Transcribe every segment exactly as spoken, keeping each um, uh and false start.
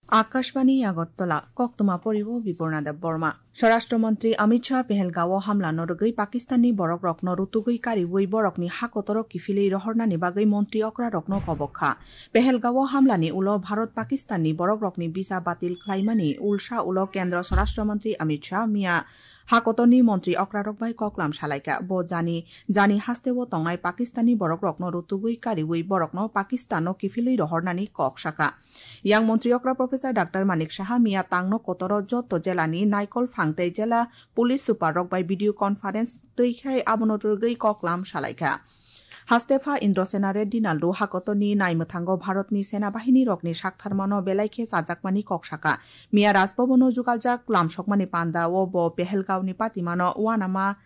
Akashbani Agartala, koktwma poribo Bipurna Deb Borma. Swarashtra Mantri Amit Shah Pehelgao hamlano rwgwi Pakistanni borokrokno rutugwi kariwi borokni ha kotoro kiphilwi rohornani bagwi montri okrarokno kobok kha. Pehelgao hamlani ulo Bharat Pakistanni borokrokni visa batil khlaimani ulsa ulo Kendra Swarashtra Mantri Amit Shah miya ha kotorni montri okrarok bai koklam salaikha. Bo jani, jani hasteo tongnai Pakistanni borokrokno rutugwi kariwi borokno Pakistanno kiphilwi rohornani kok sakha. Yang montri okra Professor Doctor Manik Saha miya tangno kotoro joto jelani naikol phang tei jela police super rok bai video conference twi khai abono rwgwi koklam salaikha. Hastepha Indrasena Reddy Naldu hakotorni naimwthango Bharatni sena bahini rokni saktharmano belai khe chajakmani kok sakha. Miya Rajbhabono jugaljak lamsokmani panda o bo Pehelgaoni patimano uanama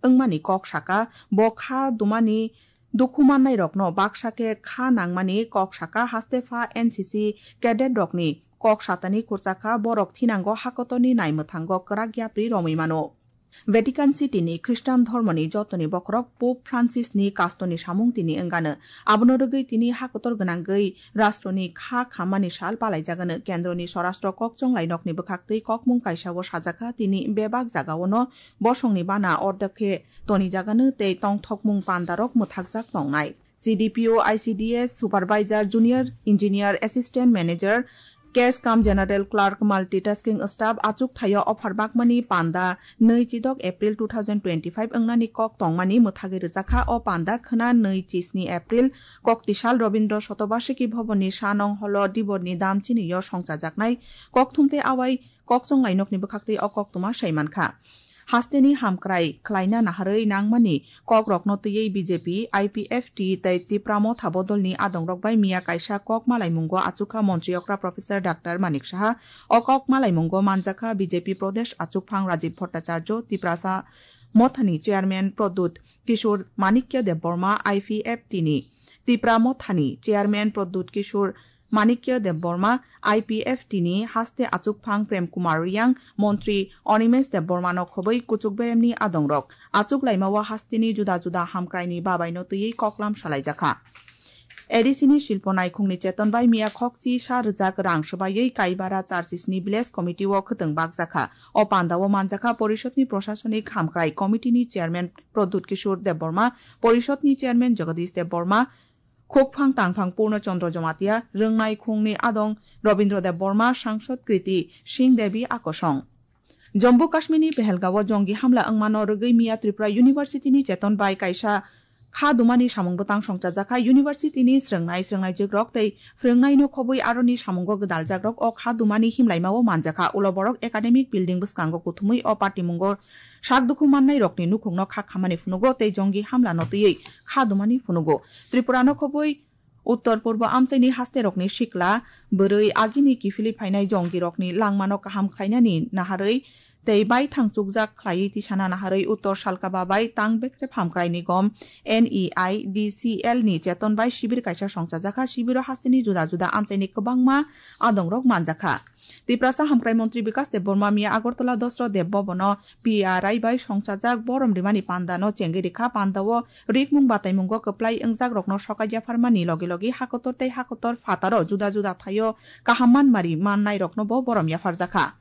wngmani kok sakha. Bo kha dumani dukhu mannairokno baksa khe kha nangmani kok sakha. Hastepha N C C cadet rokni kok satani khurchakha, borok thinango hakotorni naimwthango kwrak yapri romwi mano. Vatican City ni Khristan dhormoni jotoni bokhorok Pope Francis ni kastoni samung tini wngano. Abono rwgwi tini hakotor gwnangwi rashtroni kha khammani sal palaijagano. Kendroni Swarashtra Kokchonglai nokni bwkhaktwi kokmung kaisao sajakha, tini bebak jagaono bosongni bana ordek khe tonijagano tei tongthokmung pandarok mwthakjak tongnai. C D P O, I C D S, Supervisor, Junior Engineer, Assistant Manager, Cash cum General Clerk, Multitasking Staff, achuk thaio offer bakmani panda nwi chidok April two thousand twenty-five wngnani kok tongmani mwthagwi rwjakha. O panda khwna nwi chisni April, Koktisal Robindra Shotobashiki Bhavanni Sanong Holo Diborni dam chinio songchajaknai kokthum tei awai Kokchonglai nokni bwkhaktwi o koktwma sai mankha. Hasteni hamkrai khlaina naharwi nangmani kokrokno twiwi B J P, I P F T tei Tipra Motha bodolni adongrok bai miya kaisa kok malaimungo achukha montri okra Professor Doctor Manik Saha. O kok malaimungo manjakha B J P Pradesh achukphang Rajiv Bhattacharya, Tiprasa Mothani Chairman Pradyut Kishore Manikya Debbarma, I P F T ni Tipra Mothani Chairman Pradyut Kishore Manikya Debbarma, I P F T ni haste achukphang Prem Kumar Reang, Montri Animesh Debbarmano khobwi kuchuk beremni adongrok. Achuk laimao hasteni juda juda hamkraini babaino twiwi koklam salaijakha. A D C ni Shilpo Naikhungni cheton bai miya khokchi sa rwjak rang swbaiwi Kaibara Churches ni Village Committee o khwtwng bakjakha. O pandao manjakha Porishodni Proshasonik Hamkrai Committee ni Chairman Pradyut Kishore Debbarma, Porishodni Chairman Jagadish Debbarma, Khukphang tangphang Purno Chandra Jamatia, Rwngnai khungni adong Robindra Debbarma, Sangsad Kriti Singh Devi akosong. Jammu Kashmirni Pehelgao jongi hamla wngmano rwgwi miya Tripura University ni cheton bai kaisa kha dumani samung bwtang songchajakha. University ni srwngnai, srwngnaijwkrok tei phrwngnaino khobwi aroni samungo gwdaljakrok o kha dumani himlaimao manjakha. Ulo borok academic building bwskango kuthumwi o patimungo sak dukhu mannairokni nukhungno kha khamani phunugo tei jongi hamlano twiwi kha dumani phunugo. Tripurano khobwi Uttor Purbo amchaini hasterokni sikla, bwrwi agini kiphilwi phainai jongirokni langmano kaham khlainani naharwi tei baithang chukjak khlaiwi tisana naharwi Uttor Salka Babai Tang Bekrep Hamkrai Nigom, N E I D C L ni cheton bai sibir kaisa songchajakha. Sibiro hasteni juda juda amchaini kwbangma adongrok manjakha. Tiprasa Hamkrai Montri Bikas Debbarma miya Agartala Dosro Deb Bhavan o P R I bai songchajak borom rimani panda no chengwi rikha. Panda o rikmung bataimungo kwplai wngjakrokno sokai yapharmani logi logi hakotor tei hakotor phataro juda juda thaio kaham manmari mannairokno bo borom yapharjakha.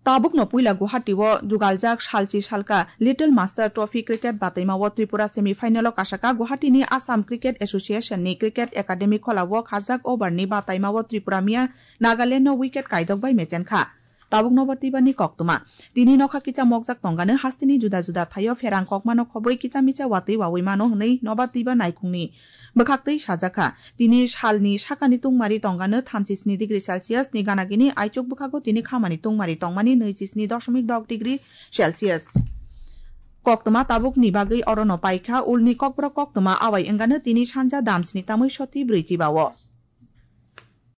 Tabukno puila Guwahati o jugaljak salchi salka Little Master Trophy cricket bataima o Tripura semi final o kasaka. Guwahati ni Assam Cricket Association ni Cricket Academy khola o khajak over ni bataima o Tripura miya Nagaland no wicket kaidok bai mechenkha. Tabuk nobar twibar ni koktwma. Tini nokha kicha mokjak tongano hasteni juda juda thaio pherang kokmano khobwi kicha micha watwi wawi mano hwnwi nobar twibar naikhungni bwkhaktwi sajakha. Tini salni sakani tungmari tongano thamchisni degree Celsius ni ganagini aichuk bwkhago tini khamani tungmari tongmani nwichi sni doshomik dok degree Celsius. Koktwma tabukni bagwi orono paikha, ulni kokborok koktwma awai wngano tini sanja damsni tamwi soti brwi chibao.